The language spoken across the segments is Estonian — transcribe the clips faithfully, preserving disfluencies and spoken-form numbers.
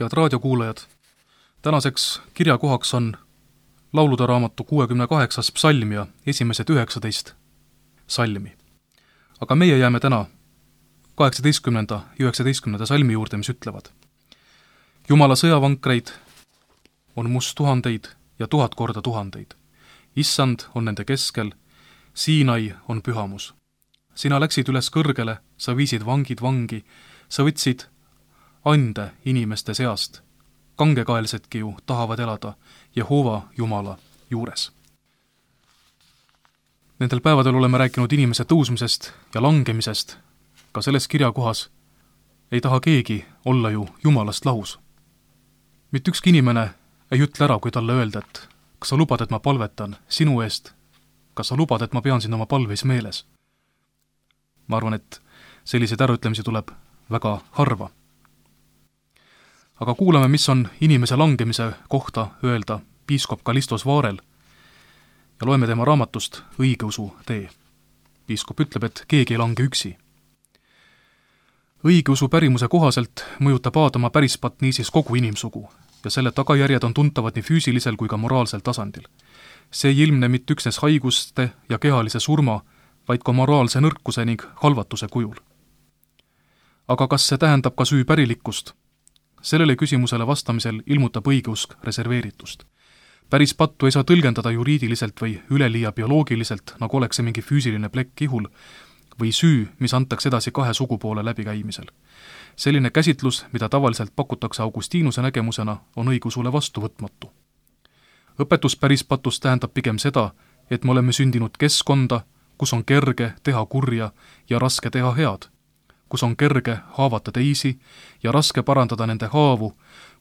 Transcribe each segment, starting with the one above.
Head raadiokuulajad, tänaseks kirjakohaks on laulude raamatu kuuekümne kaheksas psalm ja esimesed üheksateist salmi. Aga meie jääme täna kaheksateistkümnenda ja üheksateistkümnenda salmi juurde, mis ütlevad: Jumala sõjavankreid on must tuhandeid ja tuhat korda tuhandeid. Issand on nende keskel, Siinai on pühamus. Sina läksid üles kõrgele, sa viisid vangid vangi, sa võtsid ande inimeste seast. Kangekaelsedki ju tahavad elada Jehova Jumala juures. Nendel päevadel oleme rääkinud inimese tõusmisest ja langemisest. Ka selles kirjakohas ei taha keegi olla ju Jumalast lahus. Mitte ükski inimene ei ütle ära, kui talle öelda, et kas sa lubad, et ma palvetan sinu eest, kas sa lubad, et ma pean sind oma palveis meeles. Ma arvan, et selliseid äraütlemisi tuleb väga harva. Aga kuulame, mis on inimese langemise kohta öelda piiskop Kallistos Vaarel ja loeme tema raamatust Õigeusu tee. Piiskop ütleb, et keegi ei lange üksi. Õigeusu pärimuse kohaselt mõjutab Aadama pärispatt niisiis kogu inimsugu ja selle tagajärjed on tuntavad nii füüsilisel kui ka moraalsel tasandil. See ei ilmne mitte üksnes haiguste ja kehalise surma, vaid ka moraalse nõrkuse ning halvatuse kujul. Aga kas see tähendab ka süü pärilikkust? Sellele küsimusele vastamisel ilmutab õigeusk reserveeritust. Päris pattu ei saa tõlgendada juriidiliselt või üleliia bioloogiliselt, nagu oleks see mingi füüsiline plekk ihul, või süü, mis antakse edasi kahe sugupoole läbikäimisel. Selline käsitlus, mida tavaliselt pakutakse Augustiinuse nägemusena, on õigusule vastuvõtmatu. Õpetus päris patust tähendab pigem seda, et me oleme sündinud keskkonda, kus on kerge teha kurja ja raske teha head, kus on kerge haavata teisi ja raske parandada nende haavu,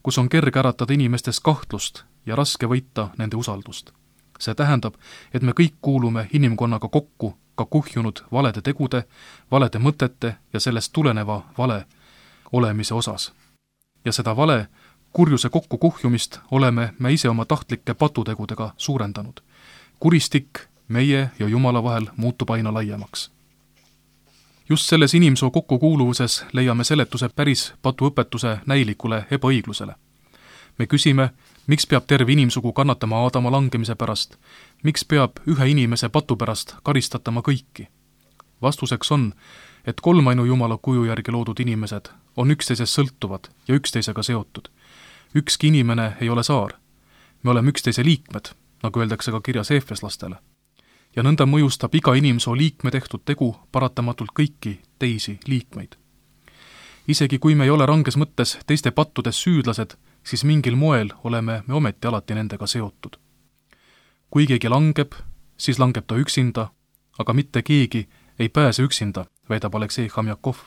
kus on kerge äratada inimestest kahtlust ja raske võita nende usaldust. See tähendab, et me kõik kuulume inimkonnaga kokku ka kuhjunud valede tegude, valede mõtete ja sellest tuleneva vale olemise osas. Ja seda vale, kurjuse kokku kuhjumist oleme me ise oma tahtlike patutegudega suurendanud. Kuristik meie ja Jumala vahel muutub aina laiemaks. Just selles inimsoo kokkukuuluvuses leiame seletuse päris patuõpetuse näilikule ebaõiglusele. Me küsime, miks peab terve inimsugu kannatama Aadama langemise pärast, miks peab ühe inimese patu pärast karistatama kõiki. Vastuseks on, et kolmainu Jumala kuju järgi loodud inimesed on üksteisest sõltuvad ja üksteisega seotud. Ükski inimene ei ole saar. Me oleme üksteise liikmed, nagu öeldakse ka kirjas eefeslastele. Ja nõnda mõjustab iga inimsoo liikme tehtud tegu paratamatult kõiki teisi liikmeid. Isegi kui me ei ole ranges mõttes teiste pattudes süüdlased, siis mingil moel oleme me ometi alati nendega seotud. Kui keegi langeb, siis langeb ta üksinda, aga mitte keegi ei pääse üksinda, väidab Aleksei Hamjakov.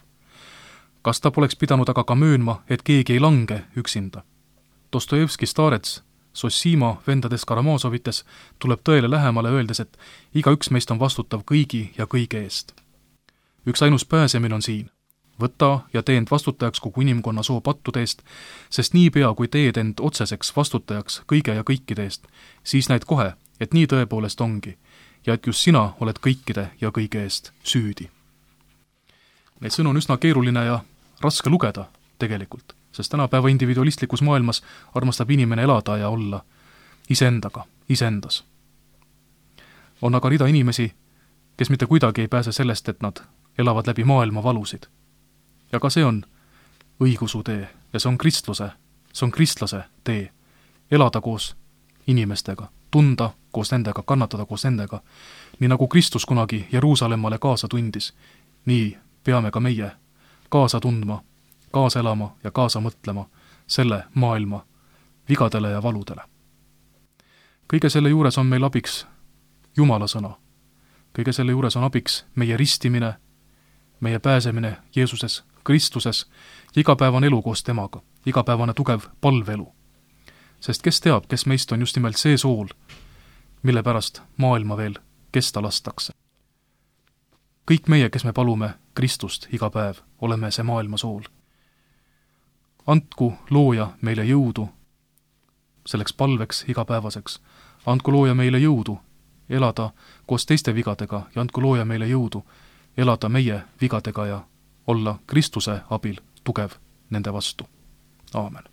Kas ta poleks pidanud aga ka möönma, et keegi ei lange üksinda? Dostojevski Starets Sossima vendades Karamazovites tuleb tõele lähemale öeldes, et iga üks meist on vastutav kõigi ja kõige eest. Üks ainus pääsemine on siin. Võta ja tee end vastutajaks kogu inimkonna soo pattude eest, sest niipea, kui teed end otseseks vastutajaks kõige ja kõikide eest, siis näed kohe, et nii tõepoolest ongi ja et just sina oled kõikide ja kõige eest süüdi. Neid sõnu on üsna keeruline ja raske lugeda tegelikult, sest tänapäeva individualistlikus maailmas armastab inimene elada ja olla iseendaga, iseendas. On aga rida inimesi, kes mitte kuidagi ei pääse sellest, et nad elavad läbi maailma valusid. Ja ka see on õigeusu tee ja see on kristluse, see on kristlase tee. Elada koos inimestega, tunda koos nendega, kannatada koos nendega. Nii nagu Kristus kunagi Jeruusalemmale kaasa tundis, nii peame ka meie kaasa tundma, kaasa elama ja kaasa mõtlema selle maailma vigadele ja valudele. Kõige selle juures on meil abiks Jumala sõna. Kõige selle juures on abiks meie ristimine, meie pääsemine Jeesuses, Kristuses, igapäevane elu koos temaga, igapäevane tugev palvelu. Sest kes teab, kes meist on just nimelt see sool, mille pärast maailma veel kesta lastakse. Kõik meie, kes me palume Kristust iga päev, oleme see maailma sool. Andku looja meile jõudu, selleks palveks igapäevaseks. Andku looja meile jõudu elada koos teiste vigadega ja andku looja meile jõudu elada meie vigadega ja olla Kristuse abil tugev nende vastu. Aamen.